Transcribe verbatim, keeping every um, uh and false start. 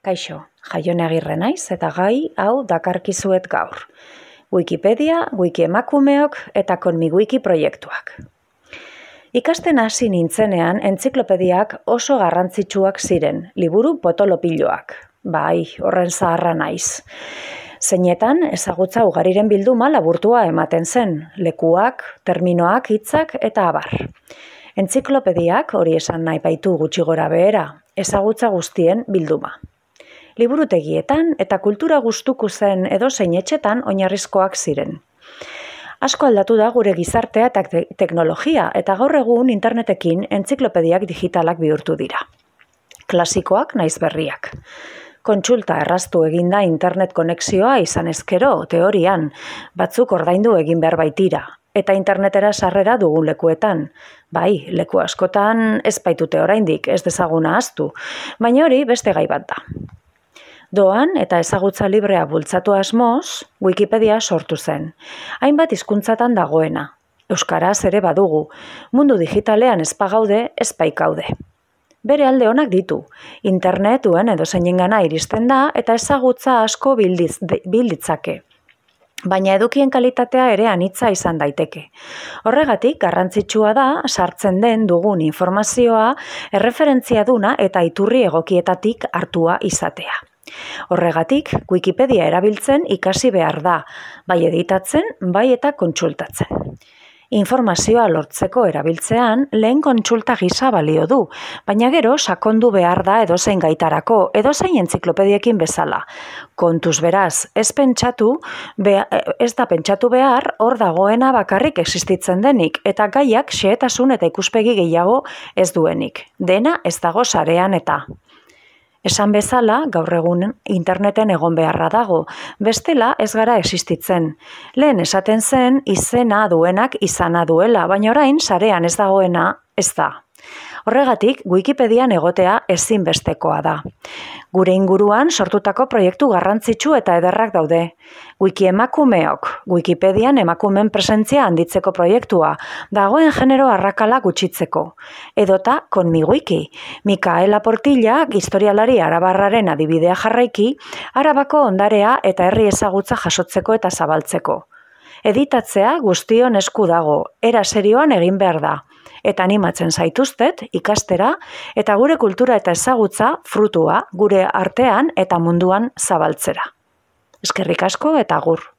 Kaixo, Jaione Agirre naiz eta gai hau dakarkizuet gaur. Wikipedia, Wikiemakumeok eta Konmiwiki proiektuak. Ikasten hasi nintzenean entziklopediak oso garrantzitsuak ziren, liburu potolopiloak. Bai, horren zaharra naiz. Zeinetan ezagutza ugariren bilduma laburtua ematen zen, lekuak, terminoak, hitzak eta abar. Entziklopediak hori esan nahi baitu gutxi gora behera, ezagutza guztien bilduma. Liburutegietan eta kultura gustuko zen edozein etxetan oinarrizkoak ziren. Asko aldatu da gure gizartea eta te- teknologia eta gaur egun internetekin entziklopediak digitalak bihurtu dira. Klasikoak naiz berriak. Kontsulta erraztu eginda internet konexioa izan ezkero, teorian, batzuk ordaindu egin behar baitira, eta internetera sarrera dugun lekuetan. Bai, leku askotan ez baitute oraindik, ez dezaguna ahaztu, baina hori beste gai bat da. Doan eta ezagutza librea bultzatu asmoz, Wikipedia sortu zen. Hainbat hizkuntzatan dagoena. Euskaraz ere badugu. Mundu digitalean ez pagaude, ez baikaude. Bere alde onak ditu. Internetuen edozeinengana iristen da eta ezagutza asko bildiz, bilditzake. Baina edukien kalitatea ere anitza izan daiteke. Horregatik, garrantzitsua da sartzen den dugun informazioa erreferentzia duna eta iturri egokietatik hartua izatea. Horregatik, Wikipedia erabiltzen ikasi behar da, bai editatzen, bai eta kontsultatzen. Informazioa lortzeko erabiltzean lehen kontsulta gisa balio du, baina gero sakondu behar da edozein gaitarako, edozein entziklopediekin bezala. Kontuz beraz, ez pentsatu, be- ez da pentsatu behar hor dagoena bakarrik existitzen denik, eta gaiak xehetasun eta ikuspegi gehiago ez duenik. Dena ez dago sarean eta. Esan bezala, gaur egun interneten egon beharra dago, bestela ez gara existitzen. Lehen esaten zen izena duenak izana duela, baina orain sarean ez dagoena ez da. Horregatik, Wikipedian egotea ezinbestekoa da. Gure inguruan sortutako proiektu garrantzitsu eta ederrak daude. Wikiemakumeok, Wikipedian emakumen presentzia handitzeko proiektua, dagoen genero arrakala gutxitzeko. Edota Konmiwiki, Mikaela Portilla, historialari arabarraren adibidea jarraiki, Arabako ondarea eta herri ezagutza jasotzeko eta zabaltzeko. Editatzea guztion esku dago, era serioan egin behar da. Eta animatzen zaituztet ikastera eta gure kultura eta ezagutza frutua gure artean eta munduan zabaltzera. Eskerrik asko eta agur.